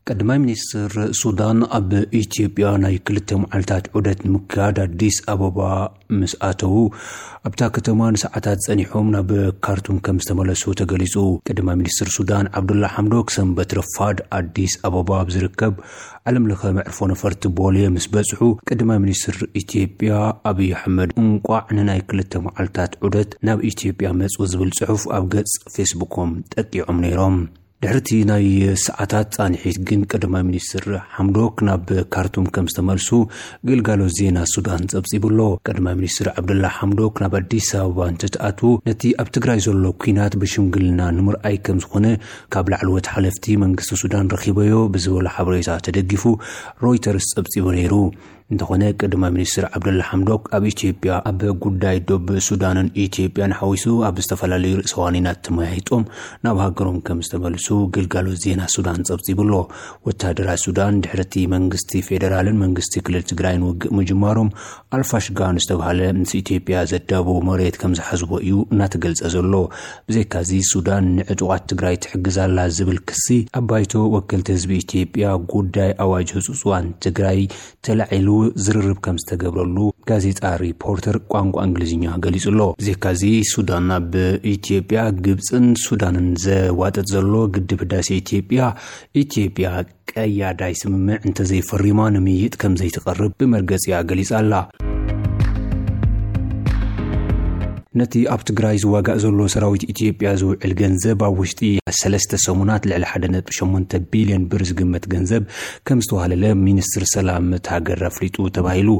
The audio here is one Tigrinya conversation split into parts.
ቀዳማይ ሚኒስትር ሱዳን ኣብ ኢትዮጵያ ናይ ክልተ መዓልታት ዑደት ንምክያድ ኣዲስ ኣበባ ምስ ኣተዉ፣ ኣብታ ከተማ ንሰዓታት ጸኒሖም ናብ ካርቱም ከም ዝተመለሱ ተገሊጹ። ቀዳማይ ሚኒስትር ሱዳን ዓብዱላ ሓምዶክ ሰንበት ረፋድ ኣዲስ ኣበባ ኣብ ዝርከብ ዓለም ለኸ መዕርፎ ነፈርቲ ቦሌ ምስ በጽሑ፣ ቀዳማይ ሚኒስትር ኢትዮጵያ ኣብይ ኣሕመድ እንቋዕ ንናይ ክልተ መዓልታት ዑደት ናብ ኢትዮጵያ መጹ ዝብል ጽሑፍ ኣብ ገጽ ፌስቡኮም ጠቂዖም ነይሮም። ድሕርቲ ናይ ሰዓታት ጻንሒት ግን ቀዳማይ ሚኒስትር ሓምዶክ ናብ ካርቱም ከም ዝተመልሱ ግልጋሎት ዜና ሱዳን ጸብጺቡ ኣሎ። ቀዳማይ ሚኒስትር ዓብደላ ሓምዶክ ናብ ኣዲስ ኣበባ እንትትኣትዉ፣ ነቲ ኣብ ትግራይ ዘሎ ኲናት ብሽምግልና ንምርኣይ ከም ዝኾነ ካብ ላዕለዎት ሓለፍቲ መንግስቲ ሱዳን ረኺበዮ ብዝበሎ ሓበሬታ ተደጊፉ ሮይተርስ ጸብጺቡ ነይሩ። እንተኾነ፣ ቀዳማይ ሚኒስትር ዓብደላ ሓምዶክ ኣብ ኢትዮጵያ ኣብ ጉዳይ ዶብ ሱዳንን ኢትዮጵያን ሓዊሱ ኣብ ዝተፈላለዩ ርእሰ ዋኒናት ተመያይጦም ናብ ሃገሮም ከም ዝተመልሱ ግልጋሎት ዜና ሱዳን ጸብጺቡ ኣሎ። ወታደራት ሱዳን ድሕርቲ መንግስቲ ፌደራልን መንግስቲ ክልል ትግራይን ውግእ ምጅማሮም፣ ኣልፋሽጋ ንዝተባህለ ምስ ኢትዮጵያ ዘዳብዎ መሬት ከም ዝሓዝዎ እዩ እናተገልጸ ዘሎ። ብዘይካዚ፣ ሱዳን ንዕጡቓት ትግራይ ትሕግዝ ኣላ ዝብል ክሲ ኣብ ባይቶ ወከልቲ ህዝቢ ኢትዮጵያ ጉዳይ ኣዋጅ ህጹጽ እዋን ትግራይ ተላዒሉ ዝርርብ ከም ዝተገብረሉ ጋዜጣ ሪፖርተር ቋንቋ እንግሊዝኛ ገሊጹ ኣሎ። ብዘይካዚ፣ ሱዳን ናብ ኢትዮጵያ፣ ግብጽን ሱዳንን ዘዋጥጥ ዘሎ ግድብ ህዳሴ ኢትዮጵያ፣ ኢትዮጵያ ቀያዳይ ስምምዕ እንተዘይፈሪማ ንምይይጥ ከም ዘይትቐርብ ብመርገጺኣ ገሊጻ ኣላ። ነቲ ኣብ ትግራይ ዝዋጋእ ዘሎ ሰራዊት ኢትዮጵያ ዝውዕል ገንዘብ ኣብ ውሽጢ ሰለስተ ሰሙናት ልዕሊ ሓደ ነጥቢ ሸሞንተ ቢልዮን ብር ዝግመት ገንዘብ ከም ዝተዋህለለ ሚኒስትር ሰላም እቲ ሃገር ኣፍሊጡ ተባሂሉ።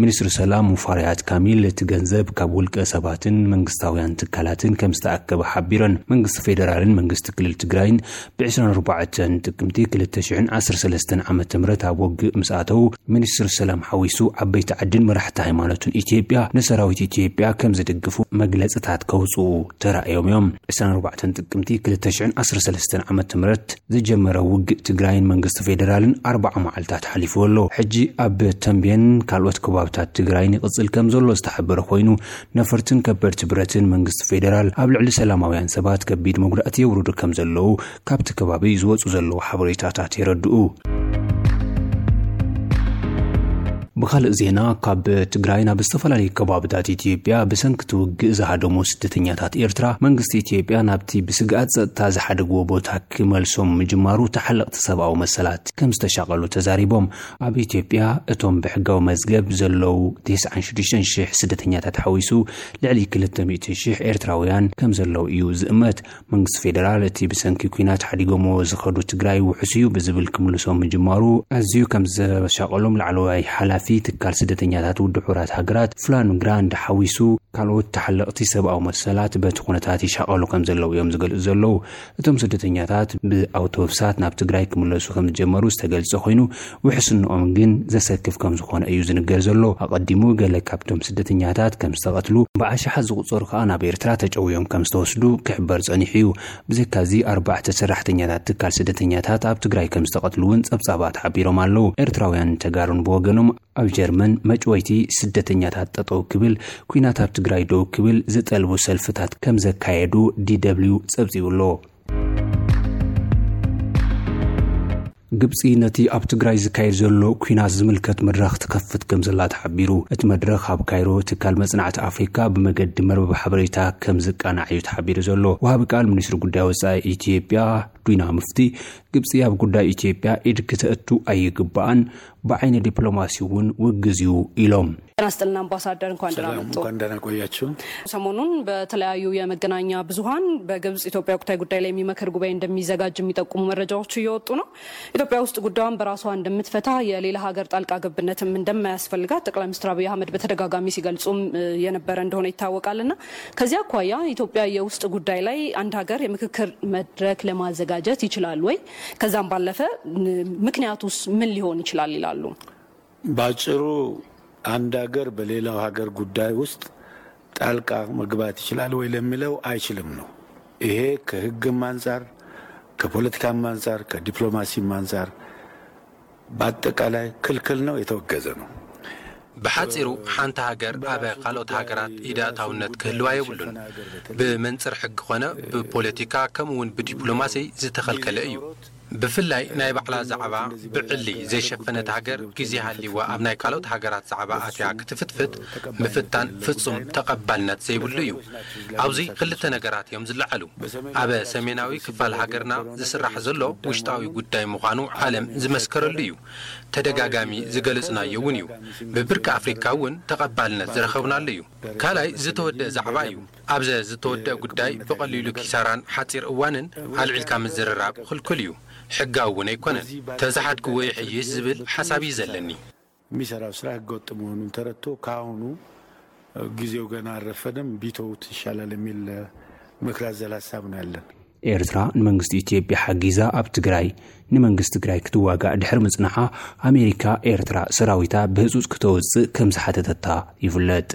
ሚኒስትር ሰላም ሙፈሪያት ካሚል እቲ ገንዘብ ካብ ውልቀ ሰባትን መንግስታውያን ትካላትን ከም ዝተኣከበ ሓቢረን። መንግስቲ ፌደራልን መንግስቲ ክልል ትግራይን ብ ዕስራን ኣርባዕተን ጥቅምቲ ክልተ ሽሕን ዓሰርተ ሰለስተን ዓመተ ምህረት ኣብ ውግእ ምስ ኣተዉ፣ ሚኒስትር ሰላም ሓዊሱ ዓበይቲ ዓድን መራሕቲ ሃይማኖትን ኢትዮጵያ ንሰራዊት ኢትዮጵያ ከም ዝድግፉ መግለጽታት ከውጽኡ ተራእዮም እዮም። ዕስራን ኣርባዕተን ጥቅምቲ ክልተ ሽሕን ዓሰርተ ሰለስተን ዓመተ ምህረት ዝጀመረ ውግእ ትግራይን መንግስቲ ፌደራልን ኣርባዓ መዓልታት ሓሊፍዎ ኣሎ። ሕጂ ኣብ ተንቤን ካልኦት ከባብታት ትግራይን ይቕጽል ከም ዘሎ ዝተሓበረ ኮይኑ፣ ነፈርትን ከበድቲ ብረትን መንግስቲ ፌደራል ኣብ ልዕሊ ሰላማውያን ሰባት ከቢድ መጉዳእቲ የውርዱ ከም ዘለዉ ካብቲ ከባቢ ዝወጹ ዘለዉ ሓበሬታታት የረድኡ። ብኻልእ ዜና፣ ካብ ትግራይ ናብ ዝተፈላለዩ ከባብታት ኢትዮጵያ ብሰንኪ እቲ ውግእ ዝሃደሙ ስደተኛታት ኤርትራ፣ መንግስቲ ኢትዮጵያ ናብቲ ብስግኣት ጸጥታ ዝሓደግዎ ቦታ ክመልሶም ምጅማሩ ተሓለቕቲ ሰብኣዊ መሰላት ከም ዝተሻቐሉ ተዛሪቦም። ኣብ ኢትዮጵያ እቶም ብሕጋዊ መዝገብ ዘለዉ ተስዓን ሽዱሽተን ሽሕ ስደተኛታት ሓዊሱ ልዕሊ ክልተ ሚእቲ ሽሕ ኤርትራውያን ከም ዘለዉ እዩ ዝእመት። መንግስቲ ፌደራል እቲ ብሰንኪ ኲናት ሓዲጎምዎ ዝኸዱ ትግራይ ውሑስ እዩ ብዝብል ክምልሶም ምጅማሩ ኣዝዩ ከም ዘሻቐሎም ላዕለዋይ ሓላፊ ትካል ስደተኛታት ውድብ ሕቡራት ሃገራት ፍላን ግራንድ ሓዊሱ ካልኦት ተሓለቕቲ ሰብኣዊ መሰላት በቲ ኩነታት ይሻቐሉ ከም ዘለዉ እዮም ዝገልጹ ዘለዉ። እቶም ስደተኛታት ብኣውቶቡሳት ናብ ትግራይ ክምለሱ ከም ዝጀመሩ ዝተገልጸ ኮይኑ፣ ውሕስንኦም ግን ዘሰክፍ ከም ዝኾነ እዩ ዝንገር ዘሎ። ኣቐዲሙ ገለ ካብቶም ስደተኛታት ከም ዝተቐትሉ፣ ብኣሽሓት ዝቑጸሩ ከኣ ናብ ኤርትራ ተጨውዮም ከም ዝተወስዱ ክሕበር ጸኒሑ እዩ። ብዘይካዚ፣ ኣርባዕተ ሰራሕተኛታት ትካል ስደተኛታት ኣብ ትግራይ ከም ዝተቐትሉ እውን ጸብጻባት ሓቢሮም ኣለዉ። ኤርትራውያን ተጋሩን ብወገኖም ኣብ ጀርመን መጭወይቲ ስደተኛታት ጠጠው ክብል፣ ኲናት ኣብ ትግራይ ደው ክብል ዝጠልቡ ሰልፍታት ከም ዘካየዱ ዲ ደብሊው ጸብጺቡ ኣሎ። ግብጺ ነቲ ኣብ ትግራይ ዝካየድ ዘሎ ኲናት ዝምልከት መድረኽ ትከፍት ከም ዘላ ተሓቢሩ። እቲ መድረኽ ኣብ ካይሮ ትካል መጽናዕቲ ኣፍሪካ ብመገዲ መርበብ ሓበሬታ ከም ዝቃናዕ እዩ ተሓቢሩ ዘሎ። ወሃቢ ቃል ሚኒስትሪ ጉዳይ ወጻኢ ኢትዮጵያ ዲና ሙፍቲ፣ ግብጺ ኣብ ጉዳይ ኢትዮጵያ ኢድ ክተእቱ ኣይግባኣን፣ ብዓይኒ ዲፕሎማሲ እውን ውግዝ እዩ ኢሎም። ጤና ይስጥልን አምባሳደር፣ እንኳን ደህና ሰላም፣ መጡ። እንኳን ደህና ቆያችሁ። ሰሞኑን በተለያዩ የመገናኛ ብዙኃን በግብጽ ኢትዮጵያ ወቅታዊ ጉዳይ ላይ የሚመክር ጉባኤ እንደሚዘጋጅ የሚጠቁሙ መረጃዎች እየወጡ ነው። ኢትዮጵያ ውስጥ ጉዳዩን በራሷ እንደምትፈታ፣ የሌላ ሀገር ጣልቃ ገብነትም እንደማያስፈልጋት ጠቅላይ ሚኒስትር አብይ አህመድ በተደጋጋሚ ሲገልጹም፣ እ፣ የነበረ እንደሆነ ይታወቃልና፣ ከዚህ አኳያ ኢትዮጵያ የውስጥ ጉዳይ ላይ አንድ ሀገር የምክክር መድረክ ለማዘጋጀት ይችላል ወይ? ከዛም ባለፈ፣ ን-፣ ምክንያቱስ ምን ሊሆን ይችላል ይላሉ? ባጭሩ፣ አንድ ሀገር በሌላው ሀገር ጉዳይ ውስጥ ጣልቃ መግባት ይችላል ወይ ለሚለው፣ አይችልም ነው። ይሄ ከህግም አንጻር፣ ከፖለቲካም አንጻር፣ ከዲፕሎማሲም አንጻር በአጠቃላይ ክልክል ነው፣ የተወገዘ ነው። ብሓጺሩ፣ ሓንቲ ሃገር ኣብ ካልኦት ሃገራት ኢድ ኣእታውነት ክህልዋ የብሉን። ብመንጽር ሕጊ ኾነ ብፖለቲካ፣ ከምኡ እውን ብዲፕሎማሲ ዝተኸልከለ እዩ። ብፍላይ ናይ ባዕላ ዛዕባ ብዕሊ ዘይሸፈነት ሃገር፣ ግዜ ሃልይዋ ኣብ ናይ ካልኦት ሃገራት ዛዕባ ኣትያ ክትፍትፍት ምፍታን ፍጹም ተቐባልነት ዘይብሉ እዩ። ኣብዚ ክልተ ነገራት እዮም ዝለዓሉ። ኣብ ሰሜናዊ ክፋል ሃገርና ዝስራሕ ዘሎ ውሽጣዊ ጉዳይ ምዃኑ ዓለም ዝመስከረሉ እዩ። ተደጋጋሚ ዝገለጽናዮ እውን እዩ። ብብርኪ ኣፍሪካ እውን ተቐባልነት ዝረኸብናሉ እዩ። ካልኣይ ዝተወደአ ዛዕባ እዩ። ኣብዘ ዝተወደአ ጉዳይ ብቐሊሉ ኪሳራን ሓፂር እዋንን ኣልዒልካ ምዝርራብ ክልኩል እዩ። ሕጋዊ እውን ኣይኮነን። ተዝሓድግዎ ይሕይሽ ዝብል ሓሳብ እዩ ዘለኒ። የሚሰራው ስራ ህገወጥ መሆኑን ተረድቶ ካሁኑ ጊዜው ገና አልረፈደም፣ ቢተውት ይሻላል የሚል ምክር አዘል ሀሳብ ነው ያለን። ኤርትራ ንመንግስቲ ኢትዮጵያ ሓጊዛ ኣብ ትግራይ ንመንግስቲ ትግራይ ክትዋጋእ ድሕሪ ምጽናሓ፣ ኣሜሪካ ኤርትራ ሰራዊታ ብህጹጽ ክተውጽእ ከም ዝሓተተታ ይፍለጥ።